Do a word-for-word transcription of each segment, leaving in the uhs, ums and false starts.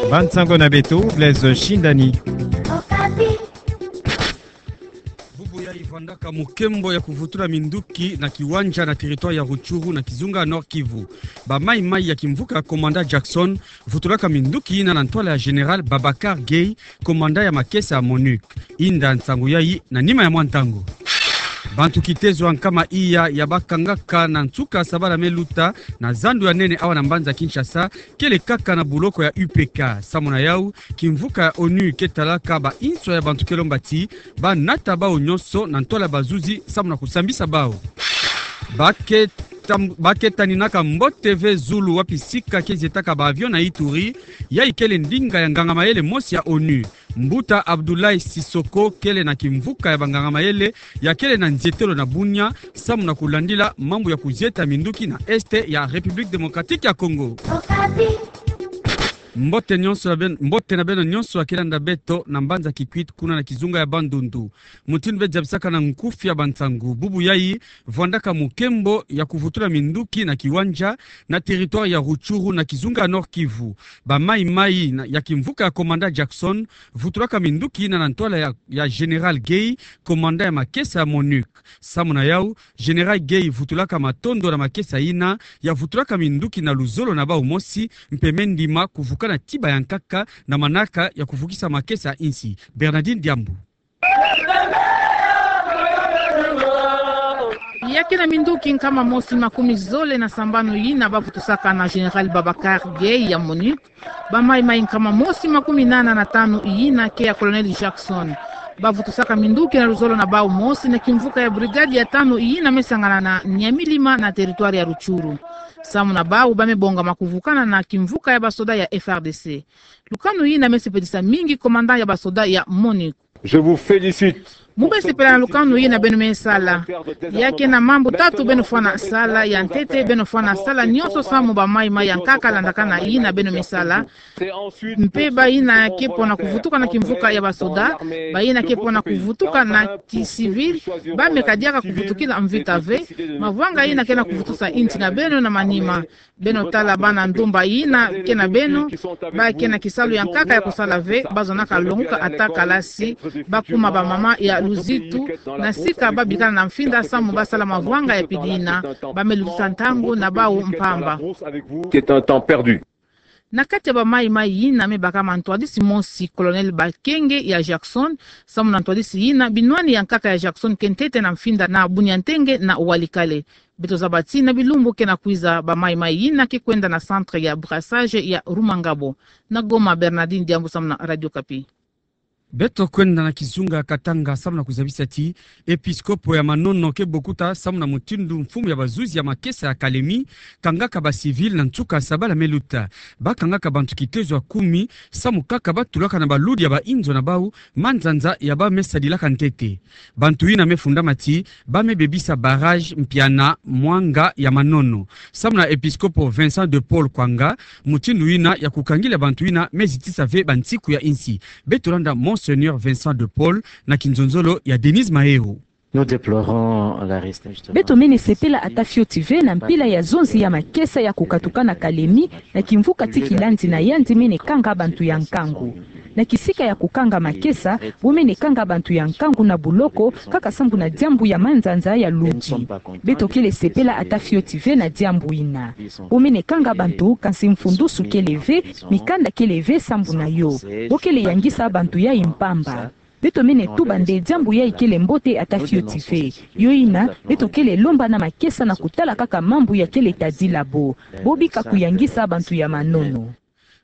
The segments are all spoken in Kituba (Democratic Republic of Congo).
Bansango na beto, Blaise Shindani. Bubu yayi vwandaka mukembo ya kuvutula minduki na kiwanja na territoire ya Rutshuru na kizunga Nord-Kivu. Ba mayi-mayi ya kimvuka ya commandant Jackson vutulaka minduki yina na ntwala ya général Babacar Gaye, commandant ya makesa ya MONUC. Inda nsangu yayi na nima ya mwa ntangu. Bantu kitezo ya nkama iya ya bakangaka na nsuka sabala me luta na zandu ya nene awa na mbanza Kinshasa, kele kaka na buloko ya U P K. Samu na yawu, kimvuka ya ONU ke talaka ba inswa ya bantu ke lomba ti banata bawu nyonso na ntwala ya bazuzi samu na kusambisa bawu. Ba ke tam-, ba ke taninaka mbote ve zulu wapi sika ke zietaka ba avion na Ituri, yayi kele ndinga ya nganga-mayele mosi ya ONU. Mbuta Abdoulaye Sissoko kele na kimvuka ya banganga-mayele ya kele na nzietelo na Bunia, samu na kulandila mambu ya kuzieta minduki na Est ya République Démocratique ya Congo. Mbote nyonso na ben-, mbote na beno nyonso ya ke landa beto na mbanza Kikwit kuna na kizunga ya Bandundu. Mutindu beno zabisaka na nkufi ya bansangu, bubu yayi vwandaka mukembo ya kuvutula minduki na kiwanja na territoire ya Rutshuru na kizunga Nord-Kivu. Ba mayi-mayi na, ya kimvuka ya commandant Jackson vutulaka minduki yina na ntwala ya, ya général Gaye, commandant ya makesa ya MONUC. Samu na yawu, général Gaye vutulaka matondo na makesa yina ya vutulaka minduki na luzolo na bawu mosi, mpe me ndima kuvukana tiba ya nkaka na manaka ya kuvukisa makesa ya insi. Bernardine Diambu. Ya ke na minduki nkama mosi makumi zole na sambanu yina ba vutusaka na général Babacar Gaye ya MONUC, ba mayi-mayi nkama mosi makumi nana na tanu yina ke ya colonel Jackson. Ba vutusaka minduki na luzolo na bawu mosi na kimvuka ya brigade ya tanu yina me sangana na Nyamilima na territoire ya Rutshuru. Samu na bawu ba me bongama kuvukana na kimvuka ya basoda ya F R D C. Lukanu yina me sepelisa mingi commandant ya basoda ya MONUC. Je vous félicite. Mu be sepela na lukanu yina beno me sala. Ya ke na mambu tatu beno fwana sala. Ya ntete, beno fwana sala nyonso samu ba mayi-mayi ya nkaka landakana yina beno me sala. Mpe bayina ke pona kuvutuka na kimvuka ya basoda, bayina ke pona kuvutuka na ki civil, ba me kadiaka kuvutukila mvita ve. Mavwanga yina ke na kuvutusa insi na beno na manima. Beno tala bana ndumba yina ke na beno, ba ke na kisalu ya nkaka ya kusala ve, ba zonaka longuka ata kalasi, ba kuma ba mama ya luzitu, na sika ba bikana na mfinda samu ba sala mavwanga ya pili yina, ba me lutisa ntangu na bawu mpamba. C'est un temps perdu. Na kati ya ba mayi-mayi yina me baka ma ntwadisi mosi, colonel Bakenge ya Jackson, samu na ntwadisi yina, binwani ya nkaka ya Jackson ke ntete na mfinda na Bunia-Ntenge na Walikale. Beto zaba ti na bilumbu ke na kwiza ba mayi-mayi yina ke kwenda na centre ya brassage ya Rumangabo. Na Goma, Bernardine Diambu samu na Radio Okapi. Beto kwenda na kizunga ya Katanga samu na kuzabisa ti episkopo ya Manono ke bokuta samu na mutindu mfumu ya bazuzi ya makesa ya Kalemi kangaka ba civil na nsuka sabala me luta. Ba kangaka bantu kitezo ya kumi samu kaka ba tulaka na baludi ya ba inzo na bawu manzanza ya ba me sadilaka ntete. Bantu yina me fundama ti ba me bebisa barrage Mpiana Mwanga ya Manono. Samu na episkopo Vincent de Paul Kwanga, mutindu yina ya kukangila bantu yina me zitisa ve bansiku ya insi. Beto landa Monseigneur Vincent de Paul na kinzonzolo ya Denise Mahero. Nous déplorons l'arrest, justement. Beto mene sepela ata fioti ve na mpila ya zonzi ya makesa ya kukatuka na Kalemi, na kimvuka ti kilandi na yandi mene kanga bantu ya nkangu. Na kisika ya kukanga makesa, bo mene kanga bantu ya nkangu na buloko, kaka samu na diambu ya manzanza ya ludi. Beto kele sepela ata fioti ve na diambu yina. Bo mene kanga bantu, kansi mfundusu kele ve, mikanda kele ve samu na yo. Bo kele yangisa bantu yayi mpamba. Beto mene tuba nde diambu yayi kele mbote ata fioti ve. Yo yina, beto kele lomba na makesa na kutala kaka mambu ya kele tadila bo. Bo bika kuyangisa bantu ya Manono.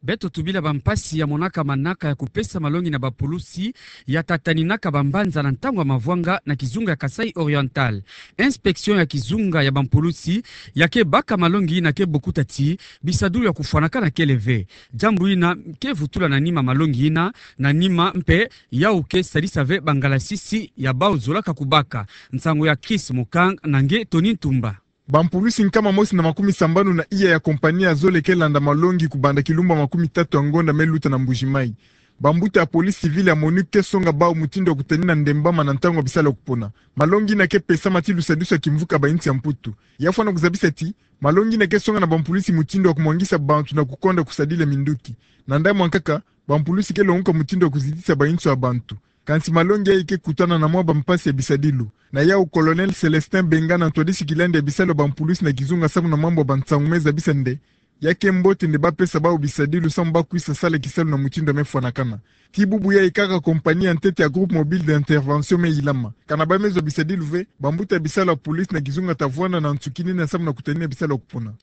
Beto tubila bampasi ya monaka manaka ya kupesa malongi na bapulusi ya tataninaka bambanza na ntangu ya mavwanga na kizunga ya Kasaï Oriental. Inspection ya kizunga ya bampulusi ya ke baka malongi yina ke bokuta ti bisadulu ya kufwanakana kele ve. Diambu yina ke vutula na nima malongi yina, na nima mpe yawu ke sadisa ve bangalasisi ya bawu zolaka kubaka. Nsangu ya Chris Mukang na nge Tony Ntumba. Bampulusi nkama mosi na makumi sambanu na iya ya kompani ya zole ke landa malongi kubanda kilumbu makumi tatu ya ngonda me luta na Mbuji-Mayi. Bambuta ya police civile ya MONUC ke songa bau mutindu ya kutanina ndemba ma na ntangu ya bisalu ya kupona. Malongi ina ke pesama ti lusadisu ya kimvuka ba insi ya Mputu. Ya fwana kuzabisa ti, malongi ina ke songa na bampulusi mutindu ya kumwangisa bantu na kukonda kusadila minduki. Na ndambu ya nkaka, bampulusi ke longoka mutindu ya kuzitisa ba insi ya bantu. Kansi malongi yayi ke kutana na mwa bampasi ya bisadilu. Na yau Colonel Célestin Benga na ntwadisi kilandi ya bisalu ya bampulusi na kizunga samu na mambu ya bansangu me zabisa nde, ya ke mbote nde ba pesa bau bisadilu samu ba kwisa sala kisalu na mutindu ya me fwanakana. Ti bubu yayi kaka compagnie ya ntete ya Groupe Mobile d'Intervention me ilama. Kana ba me zwa bisadilu ve, bambuta ya bisalu ya police na kizunga ta vwanda na nsukinina samu na kutanina bisalu ya kupona.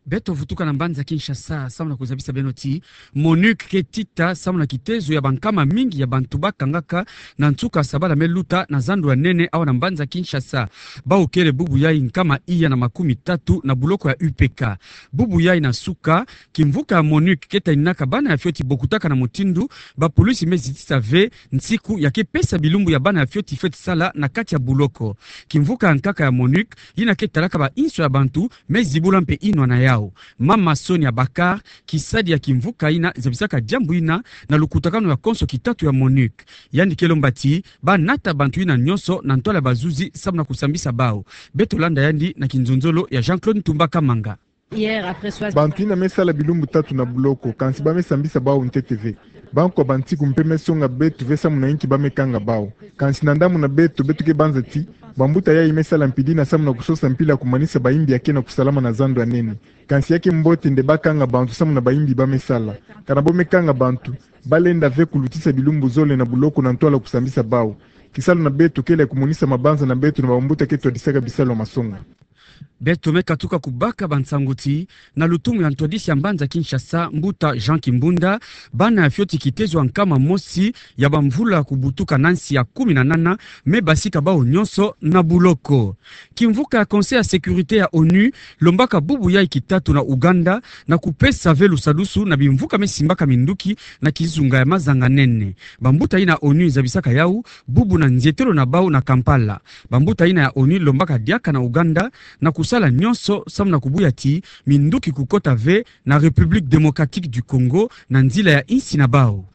Beto vutuka na mbanza Kinshasa, samu na kuzabisa beno ti MONUC ke tita samu na kitezo ya bankama mingi ya bantu ba kangaka na nsuka sabala me luta na zandu ya nene awa na mbanza Kinshasa. Bau kele bubu yayi nkama iya na makumi tatu na buloko ya U P K. Bubu yayi na suka, kimvuka ya MONUC ke taninaka bana ya fioti bokutaka na mutindu bapulusi me zitisa ve nsiku ya ke pesa bilumbu ya bana ya fioti fweti sala na kati ya buloko. Kimvuka ya nkaka ya MONUC, ina ke talaka ba inso ya bantu, me zibula mpe inwa na yau. Mama Sonia Bakar, kisadi ya kimvuka ina zabisaka diambu ina na lukutakanu ya konso kitatu ya MONUC. Yandi ke lomba ti ba nata bantu ina nyonso na ntwala ya bazuzi samu na kusambisa bau. Beto landa yandi na kinzonzolo ya Jean-Claude Ntumba Kamanga. Bantu ina me sala bilumbu tatu na buloko, kansi ba me sambisa bau ntete ve. Bankwa bansiku mpe me songa beto ve samu na inki ba me kanga bau. Kansi na ndambu na beto, beto ke banza ti bambuta yayi me sala mpidi na samu na kusosa mpila ya kumanisa bayimbi ya ke na kusalama na zandu ya nene. Kansi ya ke mbote nde ba kanga bantu samu na bayimbi ba me sala. Kana bo me kanga bantu, ba lenda ve kulutisa bilumbu zole na buloko na ntwala kusambisa bau. Kisalu na beto kele ya kumonisa mabanza na beto na bambuta ke twadisaka bisalu ya masonga. Beto me katuka kubaka bansangu ti, na lutumu ya ntwadisi ya mbanza Kinshasa, mbuta Jean Kimbunda, bana ya fioti kitezo ya nkama mosi ya bamvula kubutuka na nsi ya kumi na nana, me basika bau nyonso na buloko. Kimvuka ya Conseil ya Sécurité ya ONU lombaka bubu yayi kitatu na Ouganda na kupesa ve lusadusu na bimvuka me simbaka minduki na kizunga ya mazanga nene. Bambuta ina ONU zabisaka yau bubu na nzietelo na bau na Kampala. Bambuta ina ya ONU lombaka diaka na Ouganda na kusala nyonso samu na kubuya ti minduki kukota ve na République Démocratique du Congo na nzila ya insi na bau.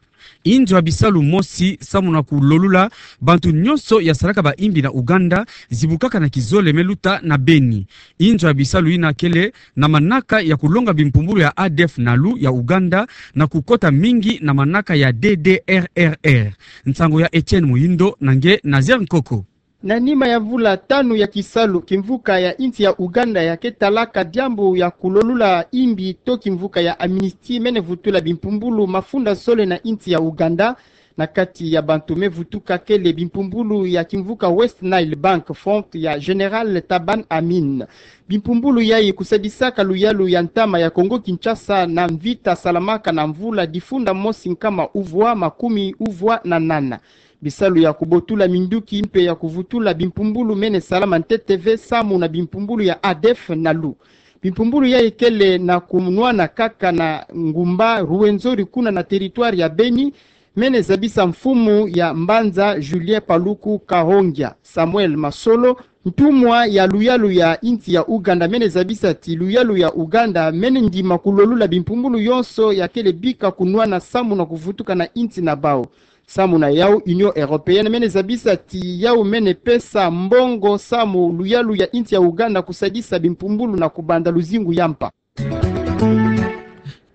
Inzo ya bisalu mosi samu na kulolula bantu nyonso ya salaka bayimbi na Ouganda zibukaka na kizole me luta na Beni. Inzo ya bisalu ina kele na manaka ya kulonga bimpumbulu ya ADF-NALU ya Ouganda na kukota mingi na manaka ya D D R R R. Nsangu ya Etienne Muhindo na nge Nazaire Nkoko. Na nima ya mvula tanu ya kisalu, kimvuka ya insi ya Ouganda ya ke talaka diambu ya kulolula imbi to kimvuka ya Amnesty mene vutula bimpumbulu mafunda zole na insi ya Ouganda. Na kati ya bantu me vutuka kele bimpumbulu ya kimvuka West Nile Bank Front ya Général Taban Amin. Bimpumbulu yayi kusadisaka luyalu ya ntama ya Congo Kinshasa na mvita salamaka na mvula difunda mosi nkama uvwa makumi uvwa na nana. Bisalu ya kubotula minduki mpe ya kuvutula bimpumbulu mene salama ntete ve samu na bimpumbulu ya ADF-NALU. Bimpumbulu yayi kele na kunwana kaka na ngumba Rwenzori kuna na territoire ya Beni, mene zabisa mfumu ya mbanza Julien Paluku Kahongya, Samuel Masolo, ntumwa ya luyalu ya insi ya Ouganda, mene zabisa ti luyalu ya Ouganda mene ndima kulolula bimpumbulu yonso ya kele bika kunwana samu na kuvutuka na insi na bau. Samu na yau, Union Européenne mene zabisa ti yau mene pesa mbongo samu luyalu ya insi ya Ouganda kusadisa bimpumbulu na kubanda luzingu ya mpa.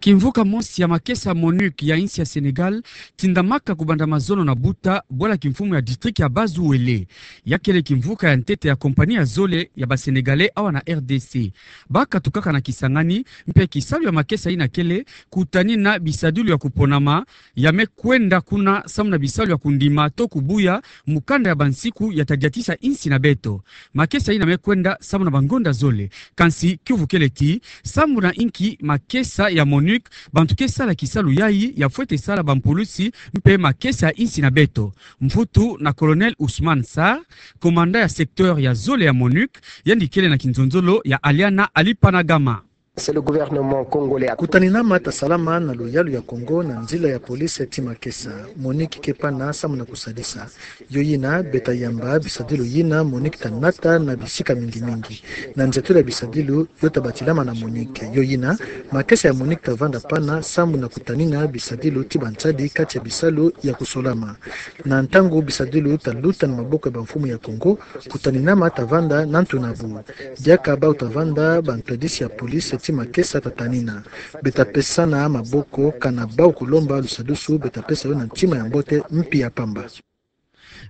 Kimvuka mosi ya makesa MONUC ya insi ya Sénégal tindamaka kubanda mazono na buta bwala kimfumu ya district ya Bas-Uele. Ya kele kimvuka ya ntete ya compagnie ya zole ya ba Sénégalais awa na R D C. Ba katukaka na Kisangani, mpe kisalu ya makesa ina kele kutanina bisadilu ya kuponama ya me kwenda kuna samu na bisalu ya kundima to kubuya mukanda ya bansiku ya ta diatisa insi na beto. Makesa ina me kwenda samu na bangonda zole. Kansi kiuvu kele ti, samu na inki makesa ya MONUC, bantu ke sala kisalu yayi ya fwete sala bampulusi mpe makesa ya insi na beto. Mvutu na Colonel Ousmane Sarr, commandant ya secteur ya zole ya MONUC, yandi kele na kinzonzolo ya Aliana Alipanagama. C'est le gouvernement congolais. Kutaninama ta salama na luyalu ya Kongo na nzila ya police ti makesa. MONUC ke pana samu na kusadisa. Yo yina, beta yamba bisadilu yina MONUC ta nata na bisika mingi mingi. Na nziatulu ya bisadilu, yo ta batilama na MONUC. Yo yina, makesa ya MONUC ta vanda pana samu na kutanina bisadilu ti bansadi kati ya bisalu ya kusolama. Na ntangu bisadilu ta luta na maboko ya bamfumu ya Kongo, kutaninama ta vanda na ntu na bu. Diaka bau ta vanda bantwadisi ya police ti makesa ta tanina. Beta pesana maboko, kana bau kulomba lusadusu, beta pesa yo na ntima ya mbote mpi ya pamba.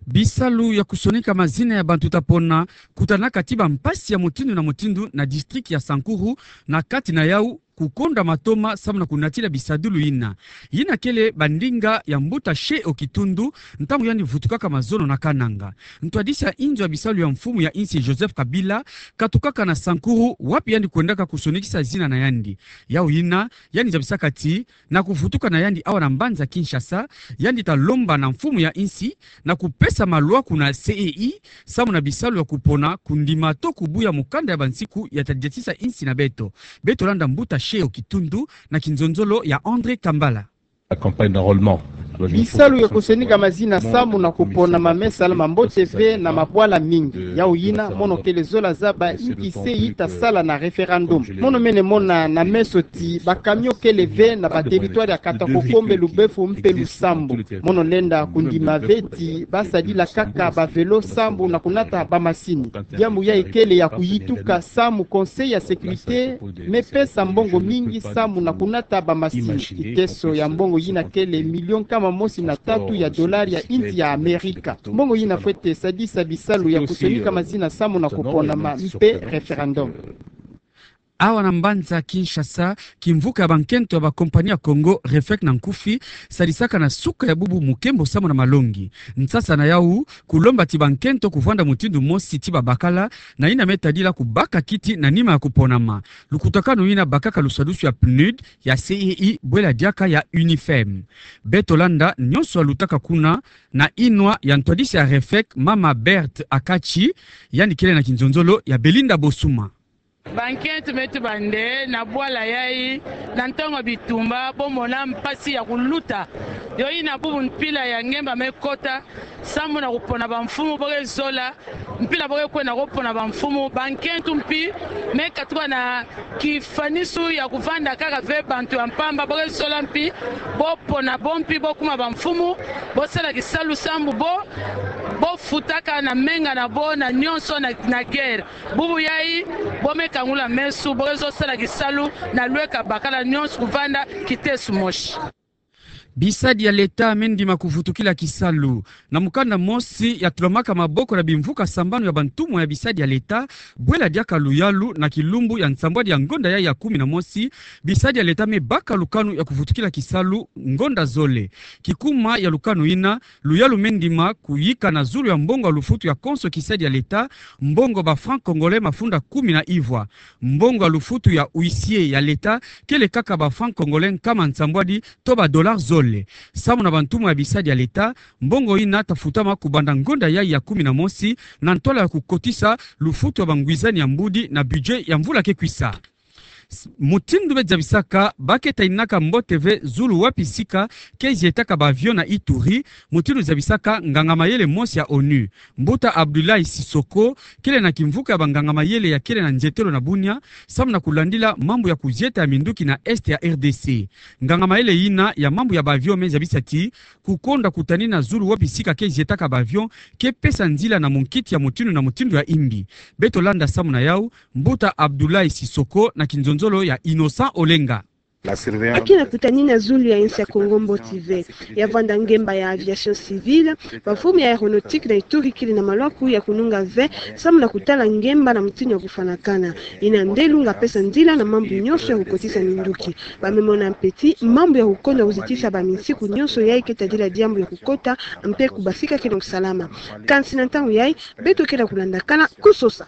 Bisalu ya kusonika mazina ya bantu ta pona, kutanaka ti bampasi ya mutindu na mutindu na district ya Sankuru, na kati na yau kukonda matoma samu na kunatila bisadilu yina. Yina kele bandinga ya mbuta Sheo Kitundu, ntangu yandi vutukaka mazono na Kananga. Ntwadisi ya inzo ya bisalu ya mfumu ya insi Joseph Kabila katukaka na Sankuru, wapi yandi kwendaka kusonikisa zina na yandi. Yau yina, yandi zabisaka ti, na kuvutuka na yandi awa na mbanza Kinshasa, yandi ta lomba na mfumu ya insi na kupesa malwa kuna C E I, samu na bisalu ya kupona, kundima to kubuya mukanda ya bansiku ya ta diatisa insi na beto. Beto landa mbuta Sheo Kitundu na kinzonzolo ya André Kambala. La campagne d'enrôlement. Bisalu ya kusonika mazina samu na kupona ma me sala mambote ve na mabwala mingi. Yau yina, mono kele zola zaba inki C E I ta sala na référendum. Mono mene mona na meso ti ba camion kele ve na ba territoire ya Katwa-Kokombe, Lubefu mpe Lusambu. Mono lenda kundima ve ti ba sadila kaka ba vélo sambu na kunata ba masini. Diambu yayi kele ya kuyituka samu Conseil ya sécurité me pesa mbongo mingi samu na kunata ba masini. Kiteso ya mbongo yina kele million nkama mosi na tatu ya dollar ya insi ya Amerika. Mbongo yina fwete sadisa bisalu ya kusonika mazina samu na kuponama mpe référendum. Awa na mbanza Kinshasa, kimvuka ya bankento ya ba compagnie ya Congo, REFEC na nkufi, sadisaka na suka ya bubu mukembo samu na malongi. Nsasa na yau, kulomba ti bankento kuvanda mutindu mosi ti babakala, na yina me tadila kubaka kiti na nima ya kuponama. Lukutakanu yina bakaka lusadusu ya PNUD, ya C E I, bwela diaka ya UNIFEM. Beto landa nyonso ya lutaka kuna, na inwa ya ntwadisi ya REFEC, mama Berthe Akachi, yandi kele na kinzonzolo ya Belinda Bosuma. Bankento me tuba nde na bwala yayi, na ntangu ya bitumba, bo mona mpasi ya kuluta. Yo yina bubu mpila ya ngemba me kota, samu na kupona bamfumu bo ke zola, mpila bo ke kwenda kupona bamfumu, bankento mpi me katuka na kifanisu ya kuvanda kaka ve bantu ya mpamba, bo ke zola mpi bo pona bo mpi bo kuma bamfumu, bo sala kisalu sambu bo, bo futaka na menga na bo na nyonso na, na guerre. Bubu yayi, bo me kangula meso, bo ke zo sala kisalu na lweka bakala nyonso kuvanda kiteso mosi. Bisadi ya leta me ndima kuvutukila kisalu. Na mukanda mosi ya tulamaka maboko na bimvuka sambanu ya bantumwa ya bisadi ya leta, bwela diaka luyalu na kilumbu ya nsambwadi ya ngonda yayi ya kumi na mosi, bisadi ya leta me baka lukanu ya kuvutukila kisalu ngonda zole. Kikuma ya lukanu yina, luyalu me ndima kuyika na zulu ya mbongo ya lufutu ya konso kisadi ya leta, mbongo ba francs congolais mafunda kumi na ivwa. Mbongo ya lufutu ya huissier ya leta kele kaka ba francs congolais nkama nsambwadi to ba dollars zole. Samu na bantumwa ya bisadi ya leta, mbongo yina ta futama kubanda ngonda yayi ya kumi na mosi na ntwala ya kukotisa lufutu ya bangwizani ya mbudi na budget ya mvula ke kwisa. S-, mutindu be zabisaka, ba ke taninaka mbote ve zulu wapi sika ke zietaka ba avion na Ituri, mutindu zabisaka nganga mayele mosi ya onu. Mbuta Abdoulaye Sissoko, kele na kimvuka ya banganga mayele ya kele na nzietelo na Bunia, samu na kulandila mambu ya kuzieta ya minduki na Est ya R D C. Nganga mayele yina ya mambu ya ba avion me zabisa ti, kukonda kutanina zulu wapi sika ke zietaka ba avion, ke pesa nzila na munkiti ya mutindu na mutindu ya imbi. Beto landa samu na yau, Mbuta Abdoulaye Sissoko na kinzonzolo ya Innocent Olenga. Ba ke na kutanina zulu ya insi ya Kongo mbote ve. Ya vanda ngemba ya aviation civile, bamfumu ya aéronautique na Ituri kele na malwaku ya kununga ve, samu na kutala ngemba na mutindu ya kufwanakana. Yina nde lunga pesa nzila na mambu nyonso ya kukotisa minduki. Ba me mona mpe ti mambu ya kukonda kuzitisa ba minsiku nyonso yayi ke tadila diambu ya kukota mpe kubasika ke na kusalama. Kansi na ntangu yayi, beto ke na kulandakana kusosa.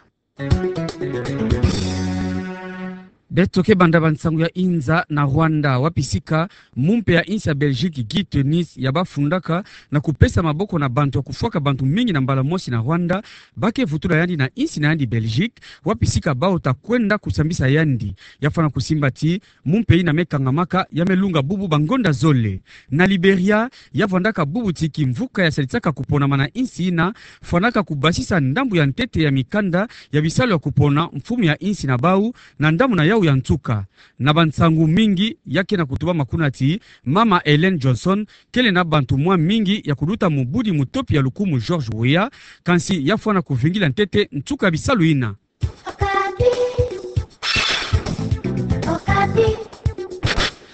Beto ke banda bansangu ya inza na Rwanda, wapi sika mumpe ya insi ya Belgique Guy Tenis ya bafundaka na kupesa maboko na bantu ya kufwaka bantu mingi na mbala mosi na Rwanda, ba ke vutula yandi na insi na yandi Belgique, wapi sika bawu ta kwenda kusambisa yandi. Ya fwana kusimba ti mumpe ina me kangamaka ya me lunga bubu bangonda zole. Na Liberia, ya vwandaka bubu ti kimvuka ya salisaka kuponama na insi ina fwanaka kubasisa ndambu ya ntete ya mikanda ya bisalu ya kupona mfumu ya insi na bawu na ndambu na yawu ya nsuka. Na bansangu mingi ya ke na kutubama kuna ti Mama Ellen Johnson kele na bantu mwa mingi ya kuluta mubudi mutopi ya lukumu George Weah, kansi ya fwana kuvingila ntete nsuka ya bisalu ina.